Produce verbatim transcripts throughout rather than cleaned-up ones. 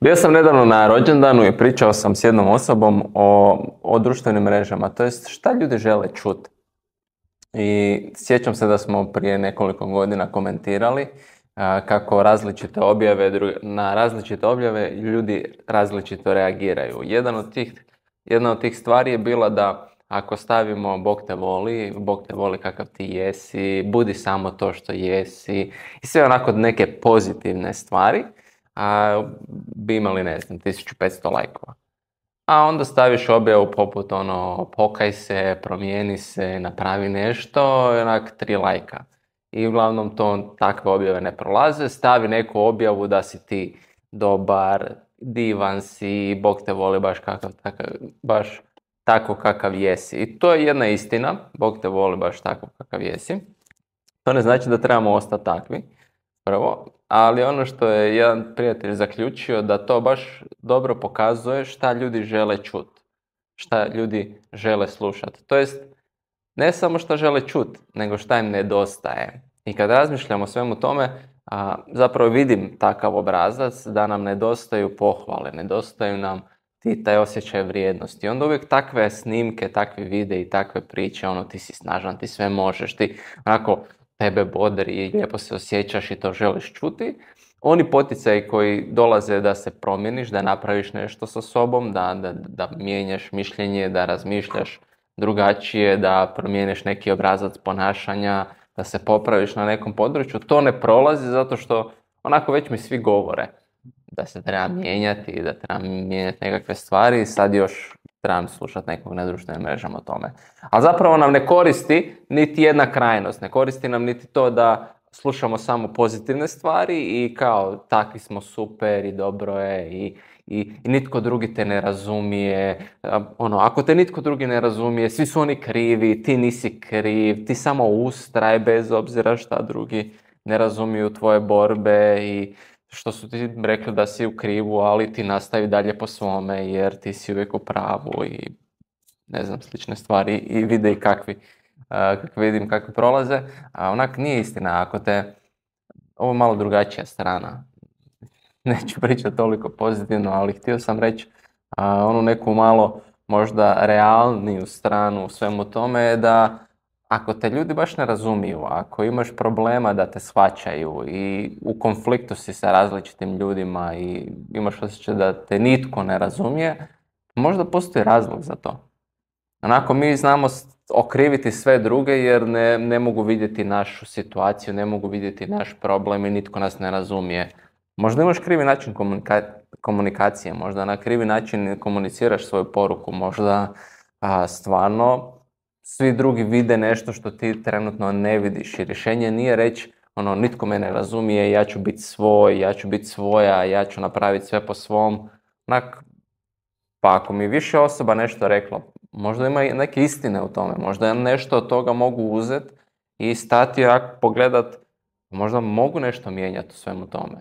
Bio sam nedavno na rođendanu i pričao sam s jednom osobom o, o društvenim mrežama, to jest šta ljudi žele čuti. I sjećam se da smo prije nekoliko godina komentirali a, kako različite objave, dru- na različite objave ljudi različito reagiraju. Jedan od tih, jedna od tih stvari je bila da ako stavimo Bog te voli, Bog te voli kakav ti jesi, budi samo to što jesi i sve onako neke pozitivne stvari, a, bi imali, ne znam, tisuću petsto lajkova. A onda staviš objavu poput ono, pokaj se, promijeni se, napravi nešto, i onak tri lajka. I uglavnom to takve objave ne prolaze. Stavi neku objavu da si ti dobar, divan si, Bog te voli baš kakav, takav, baš tako kakav jesi. I to je jedna istina, Bog te voli baš tako kakav jesi. To ne znači da trebamo ostati takvi, prvo, ali ono što je jedan prijatelj zaključio da to baš dobro pokazuje šta ljudi žele čuti, šta ljudi žele slušati. To jest, ne samo šta žele čuti, nego šta im nedostaje. I kad razmišljam o svemu tome, a, zapravo vidim takav obrazac da nam nedostaju pohvale, nedostaju nam ti taj osjećaj vrijednosti. Onda uvijek takve snimke, takve videi, takve priče, ono ti si snažan, ti sve možeš, ti onako tebe bodri i lijepo se osjećaš i to želiš čuti. Oni poticaji koji dolaze da se promijeniš, da napraviš nešto sa sobom, da, da, da mijenjaš mišljenje, da razmišljaš drugačije, da promijeniš neki obrazac ponašanja, da se popraviš na nekom području, to ne prolazi zato što onako već mi svi govore da se treba mijenjati i da treba mijenjati nekakve stvari i sad još trebam slušati nekog na društvenim mrežama o tome. Ali zapravo nam ne koristi niti jedna krajnost, ne koristi nam niti to da slušamo samo pozitivne stvari i kao takvi smo super i dobro je i, i, i nitko drugi te ne razumije. Ono, ako te nitko drugi ne razumije, svi su oni krivi, ti nisi kriv, ti samo ustraj bez obzira šta drugi ne razumiju tvoje borbe i što su ti rekli da si u krivu, ali ti nastavi dalje po svome jer ti si uvijek u pravu i ne znam, slične stvari i videi kakvi, uh, kakvi vidim kakvi prolaze. A onak nije istina, ako te, ovo je malo drugačija strana, neću pričati toliko pozitivno, ali htio sam reći uh, onu neku malo možda realniju stranu u svemu tome je da ako te ljudi baš ne razumiju, ako imaš problema da te shvaćaju i u konfliktu si sa različitim ljudima i imaš osjećaj da te nitko ne razumije, možda postoji razlog za to. Onako mi znamo okriviti sve druge jer ne, ne mogu vidjeti našu situaciju, ne mogu vidjeti naš problem i nitko nas ne razumije. Možda imaš krivi način komunika- komunikacije, možda na krivi način komuniciraš svoju poruku, možda a, stvarno svi drugi vide nešto što ti trenutno ne vidiš i rješenje nije reći ono, nitko me ne razumije, ja ću biti svoj, ja ću biti svoja, ja ću napraviti sve po svom. Onak, pa ako mi više osoba nešto reklo, možda ima i neke istine u tome, možda ja nešto od toga mogu uzeti i stati i pogledat, možda mogu nešto mijenjati u svemu tome.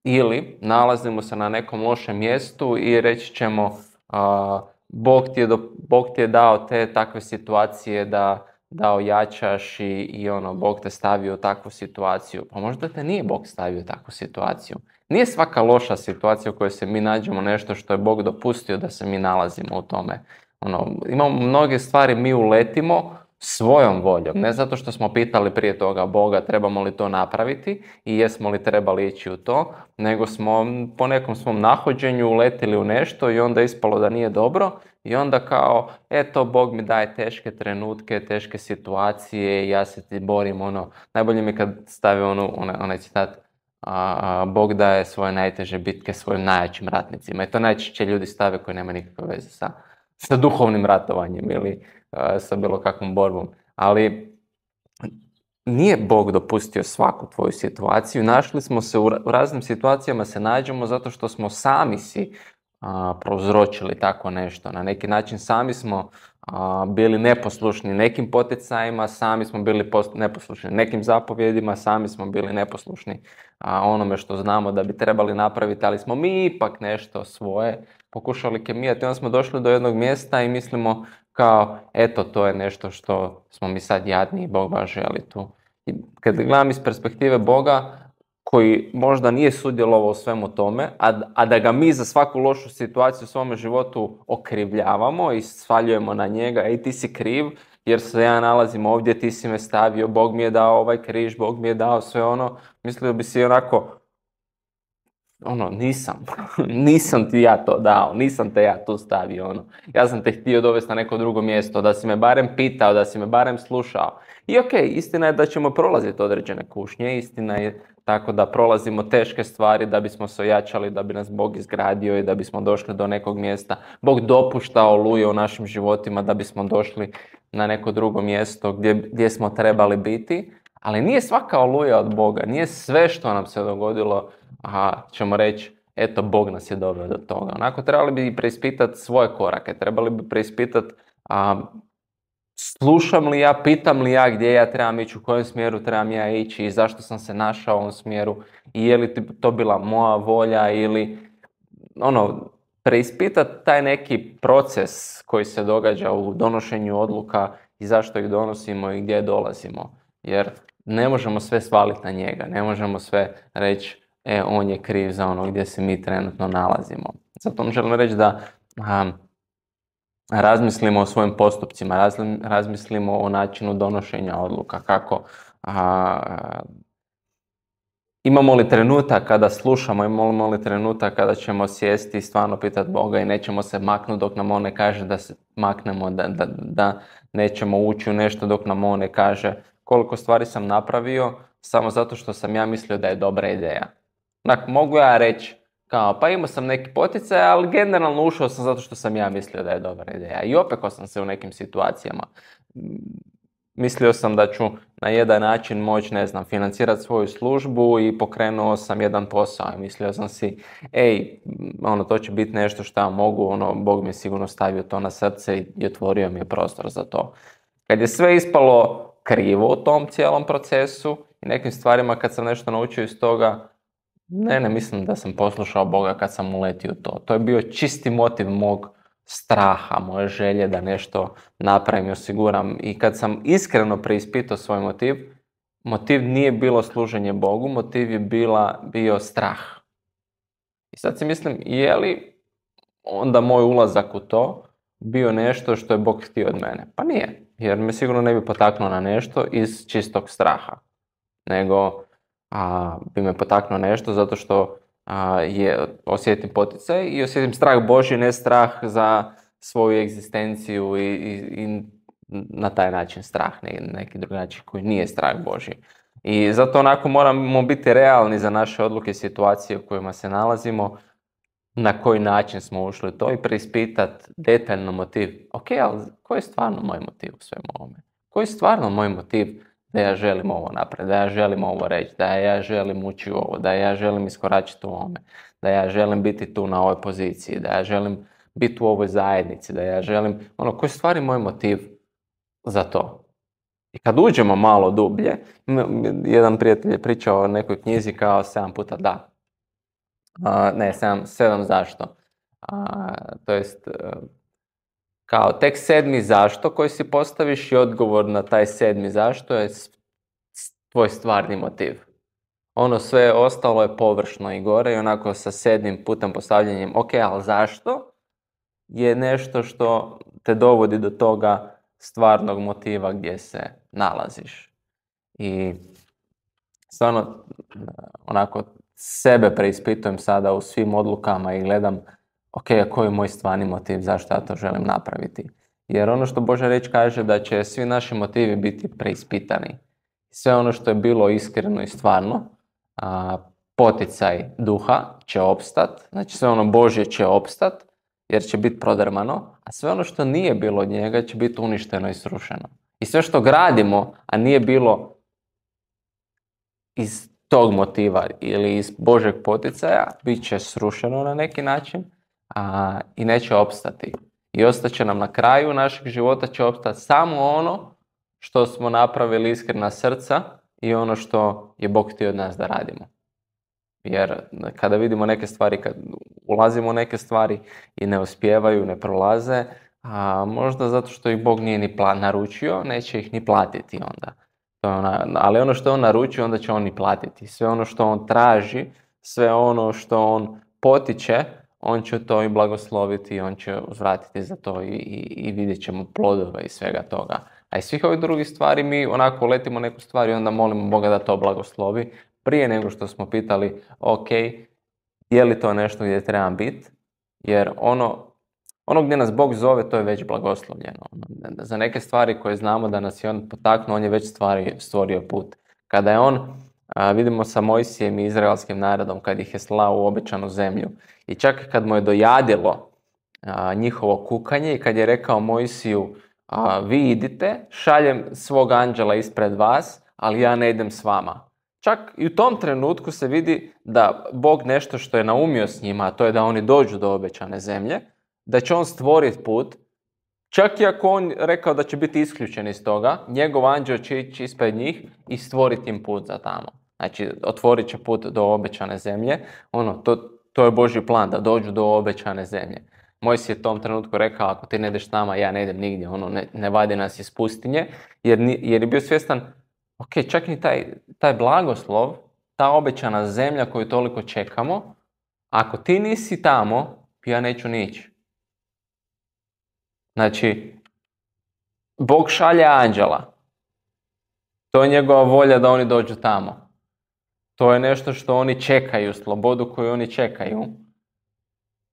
Ili nalazimo se na nekom lošem mjestu i reći ćemo a, Bog ti je, do, Bog ti je dao te takve situacije da, da ojačaš i, i ono, Bog te stavio u takvu situaciju. Pa možda te nije Bog stavio u takvu situaciju. Nije svaka loša situacija u kojoj se mi nađemo nešto što je Bog dopustio da se mi nalazimo u tome. Ono, imamo mnoge stvari, mi uletimo svojom voljom, ne zato što smo pitali prije toga Boga trebamo li to napraviti i jesmo li trebali ići u to, nego smo po nekom svom nahođenju uletili u nešto i onda ispalo da nije dobro i onda kao, eto, Bog mi daje teške trenutke, teške situacije i ja se ti borim, ono, najbolje mi kad stavi onu, onaj, onaj citat, a, a, Bog daje svoje najteže bitke svojim najjačim ratnicima i to najčešće ljudi stave koji nema nikakve veze sa, sa duhovnim ratovanjem ili sa bilo kakvom borbom, ali nije Bog dopustio svaku tvoju situaciju. Našli smo se u raznim situacijama, se nađemo zato što smo sami si a, prouzročili tako nešto. Na neki način sami smo a, bili neposlušni nekim poticajima, sami smo bili post- neposlušni nekim zapovjedima, sami smo bili neposlušni a, onome što znamo da bi trebali napraviti, ali smo mi ipak nešto svoje pokušali kemijati. Onda smo došli do jednog mjesta i mislimo kao, eto, to je nešto što smo mi sad jadni i Bog baš želi tu. I kad gledam iz perspektive Boga, koji možda nije sudjelovao u svemu tome, a, a da ga mi za svaku lošu situaciju u svome životu okrivljavamo i svaljujemo na njega, ej ti si kriv jer se ja nalazim ovdje, ti si me stavio, Bog mi je dao ovaj križ, Bog mi je dao sve ono, mislio bi si onako, ono, nisam, nisam ti ja to dao, nisam te ja tu stavio, ono. Ja sam te htio dovesti na neko drugo mjesto, da si me barem pitao, da si me barem slušao. I ok, istina je da ćemo prolaziti određene kušnje, istina je tako da prolazimo teške stvari da bismo se ojačali, da bi nas Bog izgradio i da bismo došli do nekog mjesta. Bog dopušta oluje u našim životima da bismo došli na neko drugo mjesto gdje, gdje smo trebali biti, ali nije svaka oluja od Boga, nije sve što nam se dogodilo, a ćemo reći, eto, Bog nas je doveo do toga. Onako, trebali bi preispitati svoje korake, trebali bi preispitati a, slušam li ja, pitam li ja gdje ja trebam ići, u kojem smjeru trebam ja ići i zašto sam se našao u ovom smjeru i je li to bila moja volja ili ono, preispitati taj neki proces koji se događa u donošenju odluka i zašto ih donosimo i gdje dolazimo. Jer ne možemo sve svaliti na njega, ne možemo sve reći e, on je kriv za ono gdje se mi trenutno nalazimo. Zato vam želim reći da a, razmislimo o svojim postupcima, razmislimo o načinu donošenja odluka, kako a, imamo li trenutak kada slušamo, imamo li trenutak kada ćemo sjesti i stvarno pitati Boga i nećemo se maknuti dok nam on ne kaže da se maknemo, da, da, da nećemo ući u nešto dok nam on ne kaže koliko stvari sam napravio samo zato što sam ja mislio da je dobra ideja. Dakle, mogu ja reći kao, pa imao sam neki poticaj, ali generalno ušao sam zato što sam ja mislio da je dobra ideja. I opekao sam se u nekim situacijama. Mislio sam da ću na jedan način moći, ne znam, financirati svoju službu i pokrenuo sam jedan posao. I mislio sam si, ej, ono, to će biti nešto što ja mogu, ono, Bog mi je sigurno stavio to na srce i otvorio mi je prostor za to. Kad je sve ispalo krivo u tom cijelom procesu i nekim stvarima kad sam nešto naučio iz toga, ne, ne mislim da sam poslušao Boga kad sam uletio u to. To je bio čisti motiv mog straha, moje želje da nešto napravim i osiguram. I kad sam iskreno preispitao svoj motiv, motiv nije bilo služenje Bogu, motiv je bila, bio strah. I sad si mislim, je li onda moj ulazak u to bio nešto što je Bog htio od mene? Pa nije, jer me sigurno ne bi potaknuo na nešto iz čistog straha, nego a, bi me potaknuo nešto zato što a, je, osjetim poticaj i osjetim strah Božji, ne strah za svoju egzistenciju i, i, i na taj način strah, ne, neki drugačiji koji nije strah Božji. I zato onako moramo biti realni za naše odluke i situacije u kojima se nalazimo, na koji način smo ušli u to i preispitati detaljno motiv. Ok, ali koji je stvarno moj motiv u svemu ovome? Koji je stvarno moj motiv da ja želim ovo napraviti, da ja želim ovo reći, da ja želim ući u ovo, da ja želim iskoračiti u ovome, da ja želim biti tu na ovoj poziciji, da ja želim biti u ovoj zajednici, da ja želim, ono, koji je stvari moj motiv za to? I kad uđemo malo dublje, jedan prijatelj je pričao o nekoj knjizi kao sedam puta da. Uh, ne, sedam, sedam zašto. Uh, to jest, uh, kao tek sedmi zašto koji si postaviš i odgovor na taj sedmi zašto je tvoj stvarni motiv. Ono sve ostalo je površno i gore i onako sa sedmim putem postavljanjem, ok, ali zašto? Je nešto što te dovodi do toga stvarnog motiva gdje se nalaziš. I stvarno, onako, sebe preispitujem sada u svim odlukama i gledam, ok, a koji je moj stvarni motiv, zašto ja to želim napraviti. Jer ono što Božja riječ kaže da će svi naši motivi biti preispitani. Sve ono što je bilo iskreno i stvarno, a, poticaj duha će opstat, znači sve ono Božje će opstat, jer će biti prodrmano, a sve ono što nije bilo od njega će biti uništeno i srušeno. I sve što gradimo, a nije bilo iz tog motiva ili iz Božeg poticaja, bit će srušeno na neki način a, i neće opstati. I ostaće nam na kraju našeg života će opstati samo ono što smo napravili iskrena srca i ono što je Bog htio od nas da radimo. Jer kada vidimo neke stvari, kad ulazimo u neke stvari i ne uspijevaju, ne prolaze, a možda zato što ih Bog nije ni pla- naručio, neće ih ni platiti onda. To je ona, ali ono što on naruči, onda će on i platiti. Sve ono što on traži, sve ono što on potiče, on će to i blagosloviti i on će uzvratiti za to i, i, i vidjet ćemo plodove i svega toga. A iz svih ovih drugih stvari mi onako letimo neku stvar i onda molimo Boga da to blagoslovi prije nego što smo pitali, ok, je li to nešto gdje trebam biti? Jer ono, ono gdje nas Bog zove, to je već blagoslovljeno. Za neke stvari koje znamo da nas je on potaknuo, on je već stvari, stvorio put. Kada je on, a, vidimo sa Mojsijem i izraelskim narodom, kad ih je slao u obećanu zemlju, i čak kad mu je dojadilo a, njihovo kukanje i kad je rekao Mojsiju, a, vi idite, šaljem svog anđela ispred vas, ali ja ne idem s vama. Čak i u tom trenutku se vidi da Bog nešto što je naumio s njima, a to je da oni dođu do obećane zemlje, da će on stvoriti put, čak i ako on rekao da će biti isključen iz toga, njegov anđeo će ići ispred njih i stvoriti im put za tamo. Znači, otvorit će put do obećane zemlje. Ono, to, to je Božji plan, da dođu do obećane zemlje. Mojsije je u tom trenutku rekao, ako ti ne ideš s nama, ja ne idem nigdje, ono, ne, ne vadi nas iz pustinje, jer, jer je bio svjestan, ok, čak i taj, taj blagoslov, ta obećana zemlja koju toliko čekamo, ako ti nisi tamo, ja neću ni ići. Znači, Bog šalje anđela. To je njegova volja da oni dođu tamo. To je nešto što oni čekaju, slobodu koju oni čekaju.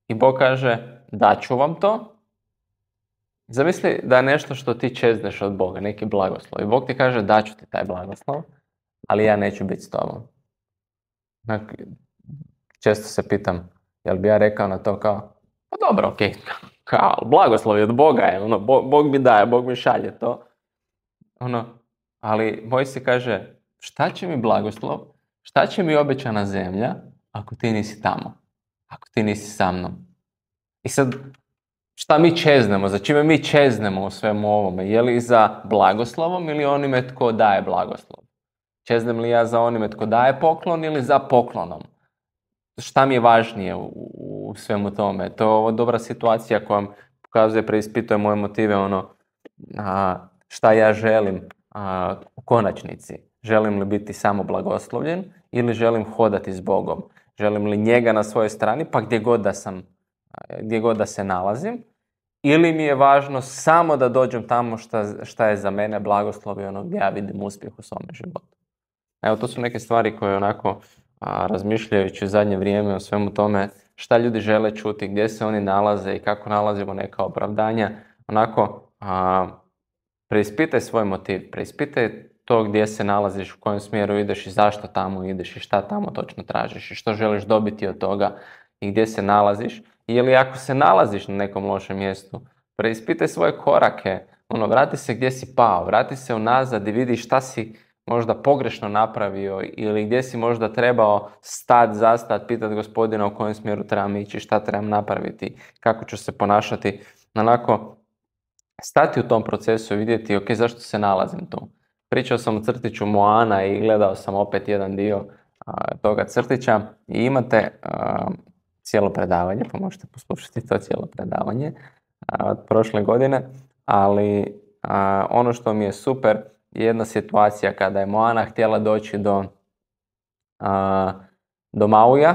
I Bog kaže, daću vam to. Zamisli da je nešto što ti čezneš od Boga, neki blagoslov. I Bog ti kaže, daću ti taj blagoslov, ali ja neću biti s tobom. Često se pitam, jel bi ja rekao na to kao, pa dobro, okej, okay. Kao, blagoslov je od Boga, je, ono, Bog, Bog mi daje, Bog mi šalje to. Ono, ali Mojsije kaže, šta će mi blagoslov, šta će mi obećana zemlja, ako ti nisi tamo, ako ti nisi sa mnom. I sad, šta mi čeznemo, za čime mi čeznemo u svemu ovome, je li za blagoslovom ili onime tko daje blagoslov? Čeznem li ja za onime tko daje poklon ili za poklonom? Šta mi je važnije u, u svemu tome? To je ovo dobra situacija koja pokazuje, preispituje moje motive, ono, a, šta ja želim a, u konačnici. Želim li biti samo blagoslovljen ili želim hodati s Bogom? Želim li njega na svojoj strani, pa gdje god da sam, gdje god da se nalazim? Ili mi je važno samo da dođem tamo šta, šta je za mene blagoslov i ono gdje ja vidim uspjeh u svome životu? Evo, to su neke stvari koje onako, a, razmišljajući u zadnje vrijeme o svemu tome, šta ljudi žele čuti, gdje se oni nalaze i kako nalazimo neka opravdanja, onako, a, preispitaj svoj motiv, preispitaj to gdje se nalaziš, u kojem smjeru ideš i zašto tamo ideš i šta tamo točno tražiš i što želiš dobiti od toga i gdje se nalaziš. Ili ako se nalaziš na nekom lošem mjestu, preispitaj svoje korake, ono, vrati se gdje si pao, vrati se unazad i vidi šta si možda pogrešno napravio ili gdje si možda trebao stat, zastat, pitati Gospodina u kojem smjeru trebam ići, šta trebam napraviti, kako ću se ponašati. Onako, stati u tom procesu i vidjeti, ok, zašto se nalazim tu. Pričao sam o crtiću Moana i gledao sam opet jedan dio a, toga crtića i imate a, cijelo predavanje, pa možete poslušati to cijelo predavanje a, od prošle godine, ali a, ono što mi je super je jedna situacija kada je Moana htjela doći do, a, do Mauja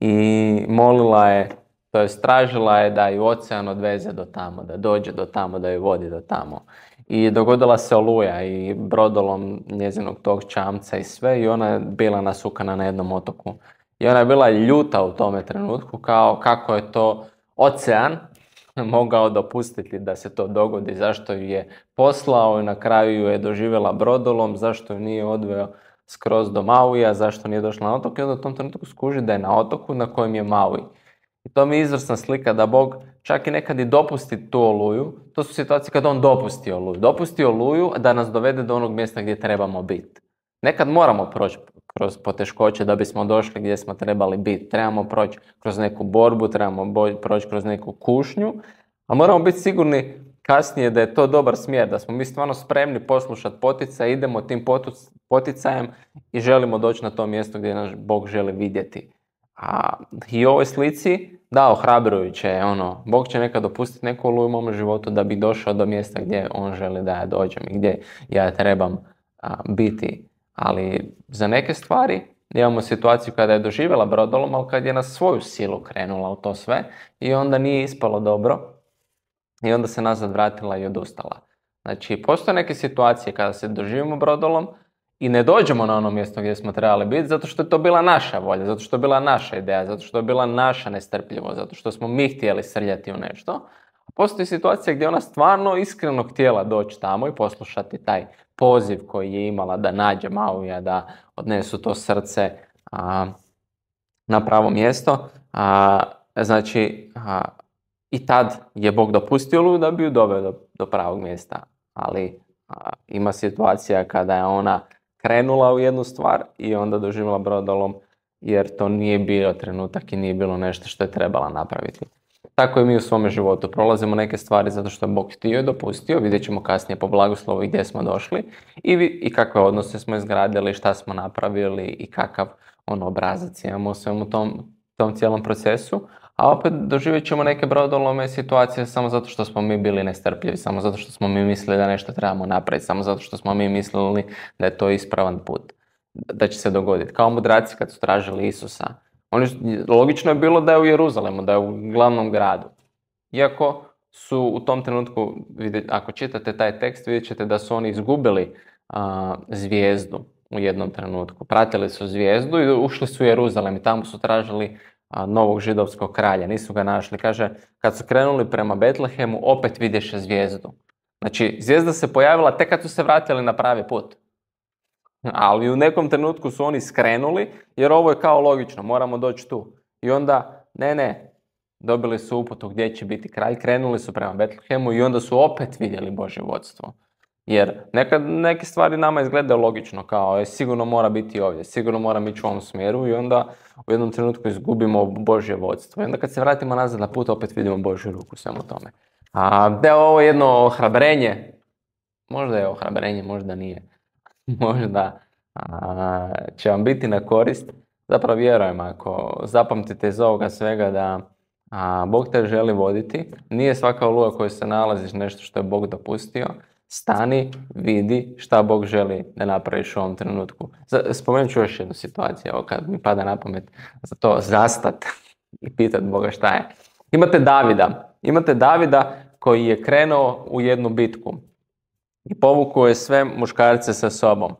i molila je, to je tražila je da ju ocean odveze do tamo, da dođe do tamo, da ju vodi do tamo. I dogodila se oluja i brodolom njezinog tog čamca i sve i ona je bila nasukana na jednom otoku. I ona je bila ljuta u tome trenutku kao kako je to ocean mogao dopustiti da se to dogodi, zašto ju je poslao i na kraju ju je doživjela brodolom, zašto ju nije odveo skroz do Mauija, zašto nije došla na otok i onda u tom trenutku skuži da je na otoku na kojem je Maui. I to mi je izvrsna slika da Bog čak i nekad i dopusti tu oluju. To su situacije kada on dopusti oluju. Dopusti oluju da nas dovede do onog mjesta gdje trebamo biti. Nekad moramo proći kroz poteškoće da bismo došli gdje smo trebali biti. Trebamo proći kroz neku borbu, trebamo boj, proći kroz neku kušnju, a moramo biti sigurni kasnije da je to dobar smjer, da smo mi stvarno spremni poslušati poticaj, idemo tim poticajem i želimo doći na to mjesto gdje nas Bog želi vidjeti. A i u ovoj slici, da, ohrabrujuće je ono, Bog će nekad dopustiti neku oluju u mom životu da bi došao do mjesta gdje on želi da ja dođem i gdje ja trebam a, biti. Ali za neke stvari imamo situaciju kada je doživjela brodolom, ali kad je na svoju silu krenula u to sve i onda nije ispalo dobro i onda se nazad vratila i odustala. Znači, postoje neke situacije kada se doživimo brodolom i ne dođemo na ono mjesto gdje smo trebali biti zato što je to bila naša volja, zato što je bila naša ideja, zato što je bila naša nestrpljivost, zato što smo mi htjeli srljati u nešto. A postoji situacija gdje ona stvarno iskreno htjela doći tamo i poslušati taj poziv koji je imala da nađe Mauija, da odnesu to srce a, na pravo mjesto. A, znači, a, i tad je Bog dopustio oluju da bi ju doveo do, do pravog mjesta. Ali a, ima situacija kada je ona krenula u jednu stvar i onda doživjela brodolom jer to nije bio trenutak i nije bilo nešto što je trebala napraviti. Tako i mi u svome životu prolazimo neke stvari zato što je Bog htio i dopustio, vidjet ćemo kasnije po blagoslovu gdje smo došli i, vi, i kakve odnose smo izgradili, šta smo napravili i kakav on obrazac imamo u svemu tom, tom cijelom procesu. A opet doživjet ćemo neke brodolome situacije samo zato što smo mi bili nestrpljivi, samo zato što smo mi mislili da nešto trebamo napraviti, samo zato što smo mi mislili da je to ispravan put, da će se dogoditi. Kao mudraci kad su tražili Isusa. Oni, logično je bilo da je u Jeruzalemu, da je u glavnom gradu. Iako su u tom trenutku, ako čitate taj tekst, vidjet ćete da su oni izgubili a, zvijezdu u jednom trenutku. Pratili su zvijezdu i ušli su u Jeruzalem i tamo su tražili a, novog židovskog kralja. Nisu ga našli. Kaže, kad su krenuli prema Betlehemu, opet vidješe zvijezdu. Znači, zvijezda se pojavila tek kad su se vratili na pravi put. Ali u nekom trenutku su oni skrenuli, jer ovo je kao logično, moramo doći tu. I onda, ne, ne, dobili su uputu gdje će biti kralj, krenuli su prema Betlehemu i onda su opet vidjeli Božje vodstvo. Jer nekad neke stvari nama izgledaju logično, kao je, sigurno mora biti ovdje, sigurno mora ići u ovom smjeru i onda u jednom trenutku izgubimo Božje vodstvo. I onda kad se vratimo nazad na put, opet vidimo Božju ruku u svemu tome. A da je ovo jedno ohrabrenje, možda je ohrabrenje, možda nije. Možda a, će vam biti na korist. Zapravo vjerujem, ako zapamtite iz ovoga svega da a, Bog te želi voditi, nije svaka oluja koju se nalaziš nešto što je Bog dopustio. Stani, vidi šta Bog želi da napraviš u ovom trenutku. Spomenut ću još jednu situaciju, evo kad mi pada na pamet za to zastat i pitat Boga šta je. Imate Davida, imate Davida koji je krenuo u jednu bitku. I povukao je sve muškarce sa sobom.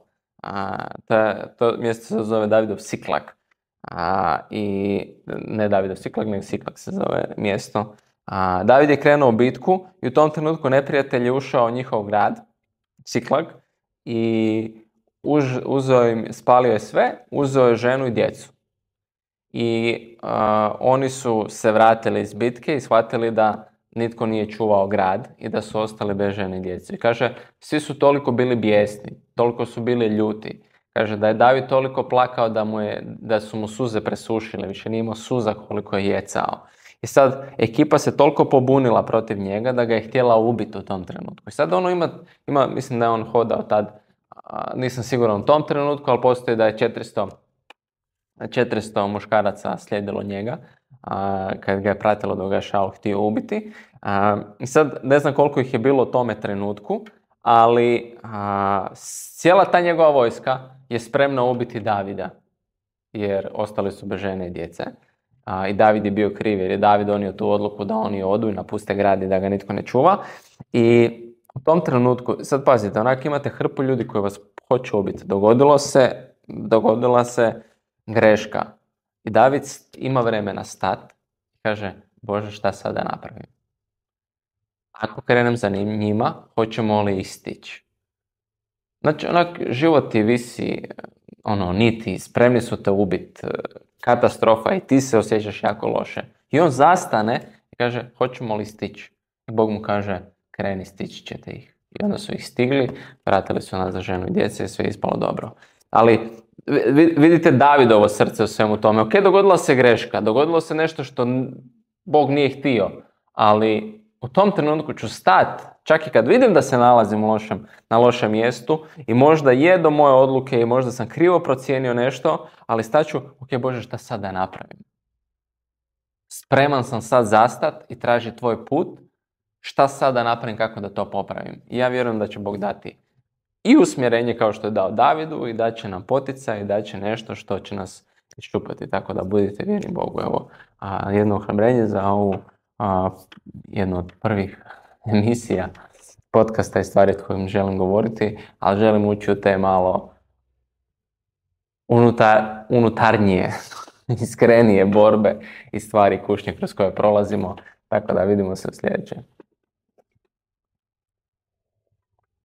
A, to, to mjesto se zove Davidov Siklak. A, I ne Davidov Siklak, nego Siklak se zove mjesto. A, David je krenuo u bitku i u tom trenutku neprijatelj je ušao u njihov grad, Siklak, i uz, uzeo im, spalio je sve, uzeo je ženu i djecu. I a, oni su se vratili iz bitke i shvatili da nitko nije čuvao grad i da su ostali bez žene i djece. I kaže, svi su toliko bili bijesni, toliko su bili ljuti. Kaže da je David toliko plakao da, mu je, da su mu suze presušile, više nije imao suza koliko je jecao. I sad ekipa se toliko pobunila protiv njega da ga je htjela ubiti u tom trenutku. I sad ono ima, ima mislim da je on hodao tad, a, nisam siguran u tom trenutku, ali postoji da je četiristo, četiristo muškaraca slijedilo njega. A, kad ga je pratilo da ga je Šaul htio ubiti. A, I sad ne znam koliko ih je bilo u tome trenutku, ali a, cijela ta njegova vojska je spremna ubiti Davida, jer ostali su bez žene i djece. A, I David je bio kriv, jer je David donio tu odluku da oni odu i napuste grad i da ga nitko ne čuva. I u tom trenutku, sad pazite, onak imate hrpu ljudi koji vas hoće ubiti. Dogodilo se, dogodila se greška. I David ima vremena stat i kaže, Bože, šta sad da napravim? Ako krenem za njima, hoćemo li istići? Znači, onak, život ti visi, ono, niti, spremni su te ubiti, katastrofa i ti se osjećaš jako loše. I on zastane i kaže, hoćemo li stići? I Bog mu kaže, kreni, stići ćete ih. I onda su ih stigli, vratili su nas za ženu i djece i sve je ispalo dobro. Ali vidite Davidovo srce u svemu tome. Ok, dogodila se greška, dogodilo se nešto što Bog nije htio, ali u tom trenutku ću stati, čak i kad vidim da se nalazim u lošem, na lošem mjestu i možda je do moje odluke i možda sam krivo procijenio nešto, ali staću, ok, Bože, šta sad da napravim? Spreman sam sad zastat i traži tvoj put, šta sad da napravim, kako da to popravim? I ja vjerujem da će Bog dati i usmjerenje kao što je dao Davidu i da će nam poticaj i da će nešto što će nas iščupati. Tako da budite vjerni Bogu. Evo, a, jedno ohrabrenje za ovu a, jednu od prvih emisija podcasta i stvari o kojim želim govoriti, ali želim ući u te malo unutar, unutarnije, iskrenije borbe i stvari kušnje kroz koje prolazimo. Tako da vidimo se u sljedećem.